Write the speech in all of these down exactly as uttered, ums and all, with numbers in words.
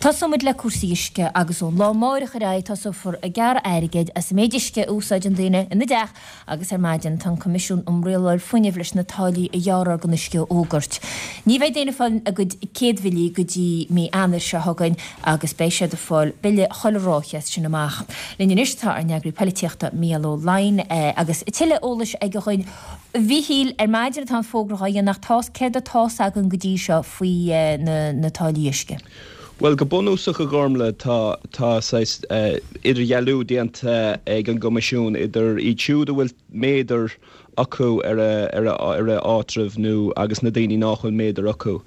Tosóimid le cúrsaí uisce agus ón lá amáireach ar aghaidh tosófar ag gearradh airgid as an méid uisce a úsáideann daoine ina dteach agus ar maidin tá an Coimisiún um Rialáil Fuinnimh leis na táillí a ghearrfar don uisce a fhógairt. Ní bheidh daoine ag fáil a gcuid céad bhillí go dtí mí Eanáir seo chugainn agus beidh siad ag fáil bille chuile ráithe as sin amach. Linn anois tá ár n-eagraí polaitíochta Mícheál Ó Laighin agus tuilleadh eolais aige dhúinn. A Mhíchíl, ar maidin atá an fógra dhá dhéanamh ach tá's céard atá's againn go dtí seo faoi na táillí uisce? Bhuel, go bunúsach, a Ghormlaith, tá tá saghas idirdhealú déanta ag an gCoimisiún idir iad siúd a bhfuil méadar acu ar a ar a ar a áitreabh nó agus na daoine nach bhfuil méadar acu.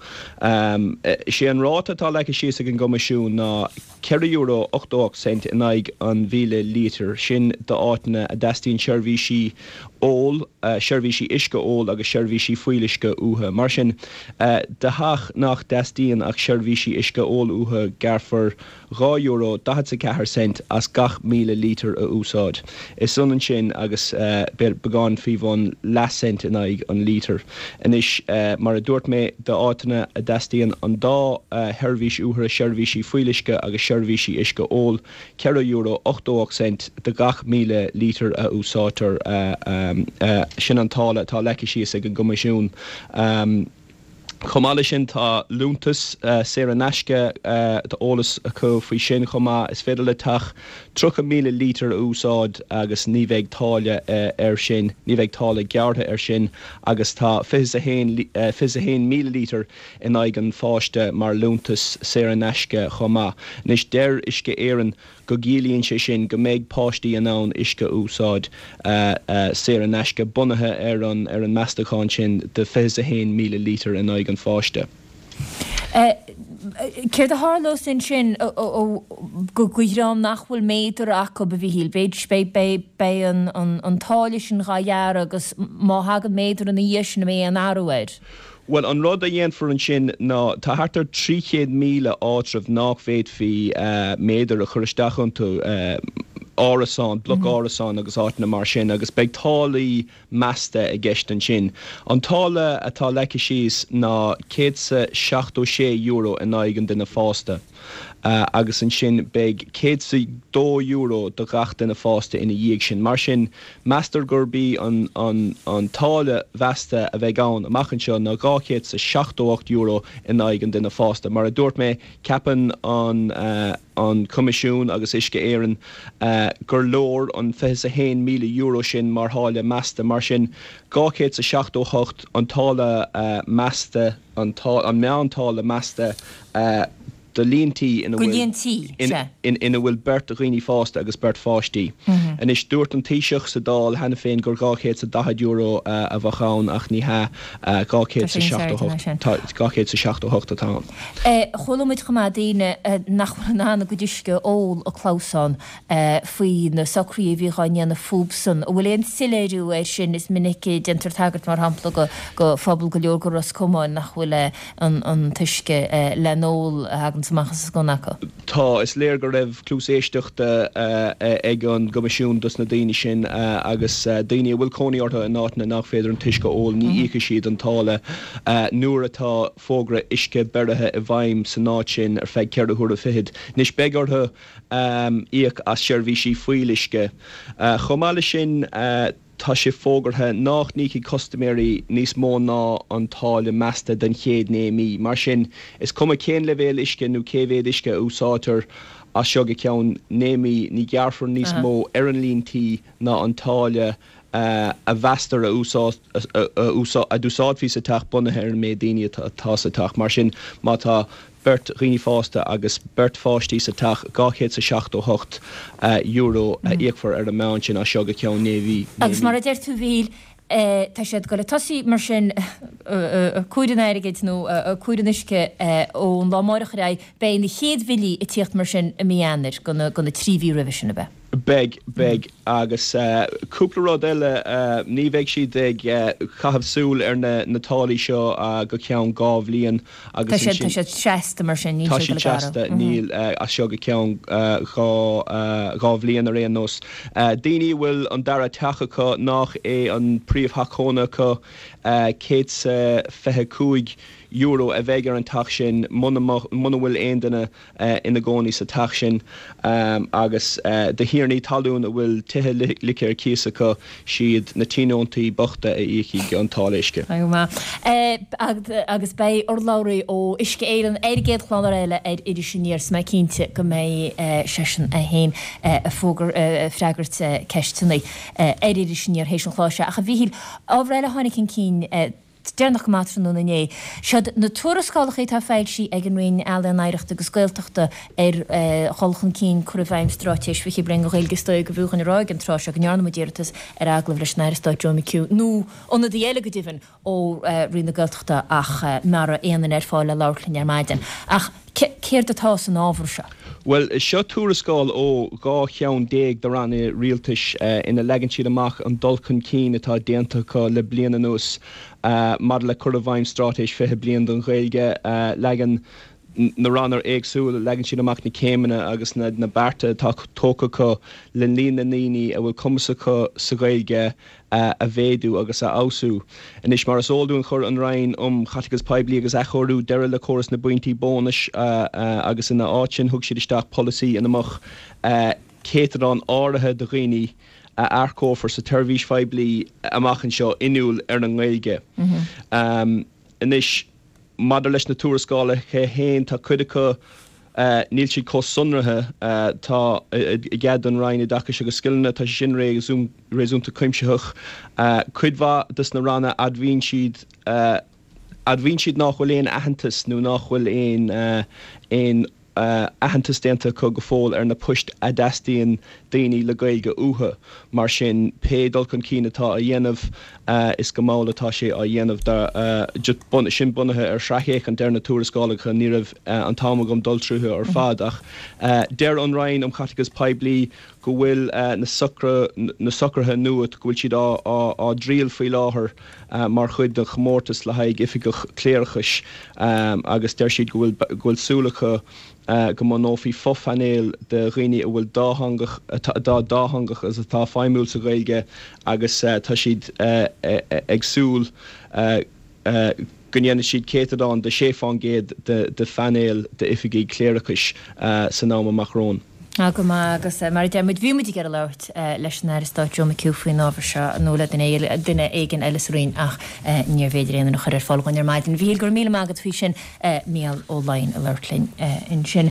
Is é an ráta atá leagtha síos ag an gCoimisiún ná ceithre euro ochtó ocht cent in aghaidh an mhíle lítear, sin d'áiteanna a dteastaíonn seirbhísí óil, seirbhísí uisce óil agus seirbhísí fuíolluisce uathu. Mar sin, do theach nach dteastaíonn ach seirbhísí uisce óil uathu, gearrfar dhá euro daichead is a ceathair cent as gach míle lítear a úsáid. Is ionann sin agus beagán faoi bhun leathcent in aghaidh an lítir. Anois, mar a dúirt mé, d'áiteanna a dteastaíonn an dá sheirbhís uathu, seirbhísí fuíolluisce agus seirbhísí uisce óil, ceithre euro ochtó ocht cent do gach míle lítear a úsáidtear. Sin an táille atá leagtha síos ag an gCoimisiún. Chomh maith leis sin tá liúntas saor in aisce, tá eolas acu faoi sin chomh maith. Is féidir le teach tríocha míle lítear a úsáid agus ní bheidh táille air sin, ní bheidh táille gearrtha air sin agus tá fiche is a haon, fiche is a haon míle lítear in aghaidh an pháiste mar liúntas saor in aisce chomh maith. Anois deir Uisce Éireann go gciallaíonn sé sin go mbeidh páistí in ann uisce a úsáid saor in aisce bunaithe ar an ar an meastachán sin de fiche is a haon míle lítear in aghaidh an pháiste. Céard a tharlós ansin do dhream nach bhfuil méadar acu, a Mhíchíl? Beidh beidh an táille sin dhá ghearradh agus má thagann méadar ina dhiaidh sin an mbeidh aon athrú air? Bhuel, an rud a dhéanfar ansin ná, tá thart ar trí chéad míle áitreabh nach bhféadfaí méadar a chur isteach iontu, árasáin, bloc árasán agus áiteanna mar sin, agus beidh táillí measta i gceist ansin. An táille atá leagtha síos ná céad 's a seachtó sé euro in aghaidh an duine fásta. Agus ansin beidh céad 's a dó euro do ghach duine fásta ina dhiaidh sin. Mar sin, meastar gurb í an an táille mheasta a bheidh ann amach anseo ná dhá chéad 's a seachtó ocht euro in aghaidh an duine fásta. Mar a dúirt mé, ceapann an an Coimisiún agus Uisce Éireann gur leor an fiche 's a haon míle euro sin mar tháille measta. Mar sin, dhá chéad 's a seachtó hocht an táille measta, an meántáille measta, do líon tí ina Do líon tí, sea. ina bhfuil beirt dhaoine fásta agus beirt pháistí. Anois, dúirt an Taoiseach sa Dáil cheana féin gur dhá chéad 's a daichead euro a bheadh ann ach ní hea, dhá chéad 's a seachtó hocht, dhá chéad 's a seachtó hocht atá ann. Chuala muid chomh maith daoine nach bhfuil in ann a gcuid uisce a ól ag clamhsán faoi na socruithe a bhí dhá ndéanamh fúbsan. An bhfuil aon soiléiriú air sin? Is minic a déantar tagairt, mar shampla, do phobal go leor de Ros Comáin nach bhfuil an t-uisce le n-ól a thaganns amach as an sconna acu. Tá. Is léir go raibh cluas éisteachta ag an gCoimisiún dos na daoine sin agus daoine a bhfuil cónaí orthu in áiteanna nach féidir an t-uisce a ól, ní íocfaidh siad an táille nuair atá fógra uisce beirithe i bhfeidhm san áit sin ar feadh ceithre huaire fichead. Anois beidh orthu íoc as seirbhísí fuíolluisce. Chomh maith leis sin, tá sé fógartha nách n-íocfaidh custaiméirí níos mó ná an táille measta don chéad naoi mí. Mar sin, is cuma cén leibhéal uisce nó cé mhéad uisce a úsáidtear as seo go ceann naoi mí, ní ghearrfar níos mó ar an líon tí ná an táille a mheastar a d'úsáidfí sa teach bunaithe ar an méid daoine atá sa teach. Mar sin, má tá beirt dhaoine fásta agus beirt pháistí sa teach, dhá chéad 's a seachtó hocht euro a íocfar ar an meán sin as seo go ceann naoi mhí. Agus mar a deir tú, a Mhíchíl, tá siad ag dul ag tosaí mar sin ag cur an airgid nó ag cur an uisce ón lá amáireach ar aghaidh, beidh na chéad bhillí ag tíocht mar sin i mí Eanáir do na trí mhí roimhe sin, ab ea? Beidh, beidh. Agus cúpla rud eile, ní bheidh siad ag caitheamh súil ar na táillí seo go ceann dhá bhliain agus ansin. Tá siad seasta mar sin, níl siad ag dul ag athrú. Tá siad seasta, níl, as seo go ceann dhá, dhá bhliain ar aon nós. Daoine a bhfuil an dara teach acu, nach é an príomhtheach cónaithe acu, céad 's a fiche cúig euro a bheidh ar an teach sin muna bhfuil aon duine ina gcónaí sa teach sin agus do thiarnaí talún a bhfuil tithe ligthe ar cíos acu, siad na tionóntaí bochta a íocfaidh an táille uisce. Go maith. Agus beidh urlabhraí ó Uisce Éireann ar an gcéad chlár eile ar Iris Aniar so mé cinnte go mbeidh seisean é féin ag freagairt ceisteanna ar Iris Aniar théis an chláir seo. Ach a Mhíchíl, ábhar eile a tháinig chun cinn deireanach go maith tráthnóna inné, siod na tuarascálacha atá foilsithe ag an Roinn Ealaíon, Oidhreachta agus Gaeltachta ar dhul chun cinn cur i bhfeidhm Straitéis fiche Bliain don Ghaeilge. Is dóigh go bhfiú dhúinn a rá ag an tráth seo go ndearna muid iarratas ar agallamh leis an Aire Stáit Joe McHugh, nó ionadaí eile go deimhin, ó Roinn na Gaeltachta ach nach raibh aon duine ar fáil le labhairt linn ar maidin. Ach céard atá san ábhar seo? Bhuel, seo tuarascáil ó dhá cheann déag de ranna rialtais ina leagann siad amach an dul chun cinn atá déanta acu le bliain anuas maidir le cur i bhfeidhm Straitéis fiche Bliain don Ghaeilge. Leagann na ranna éagsúla, leagann siad amach na céimeanna agus na bearta atá tógtha acu le líon na ndaoine a bhfuil cumas acu sa Ghaeilge a mhéadú agus a fheabhsú. Anois, mar is eol dúinn, chuir an Roinn um Chaiteachas Poiblí agus Athchóiriú deireadh le córas na bpointí bónais agus ina áit sin thug siad isteach polasaí ina mbeadh céatadán áirithe de dhaoine a earcófar sa tseirbhís phoiblí amach anseo inniúil ar an nGaeilge. Anois, maidir leis na tuarascálacha féin, tá cuid acu, níl siad chomh sonraithe. Tá i gcead don Roinn Oideachais agus Scileanna, tá sé sin réasúnta cuimsitheach. Cuid mhaith des na ranna, admhaíonn siad, admhaíonn siad nach bhfuil aon aitheantas nó nach bhfuil aon, aon aitheantas déanta acu go fóill ar na poist a dteastaíonn daoine le Gaeilge uathu. Mar sin, pé dul chun cinn atá á dhéanamh, is go mall atá sé á dhéanamh. Sin bunaithe ar shracfhéachaint ar na tuarascálacha, ní raibh an t-am agam dul tríothu ar fad, ach deir an Roinn um Chaiteachas Poiblí go bhfuil na socruithe nua, go bhfuil siad á dtriail faoi láthair mar chuid den chomórtas le haghaidh oifigeach cléireachais agus deir siad go bhfuil súil acu go mbunófaí fophainéal de dhaoine a bhfuil dátheangach, atá dátheangach agus atá feidhmiúil sa Ghaeilge agus tá siad ag súil go ndéanfaidh siad céatadán de sé fán gcéad de phainéal d'oifigigh chléireachais san am amach romhainn. Á, go maith, agus mar a deir muid, bhí muid ag iarraidh labhairt leis an Aire Stáit Joe McHugh faoin ábhar seo, nó le duine éigin eile sa Roinn ach níorbh fhéidir aon duine a chur ar fáil dhúinn ar maidin. A Mhíchíl, go raibh míle maith agat faoi sin. Mícheál Ó Laighin ag labhairt linn ansin.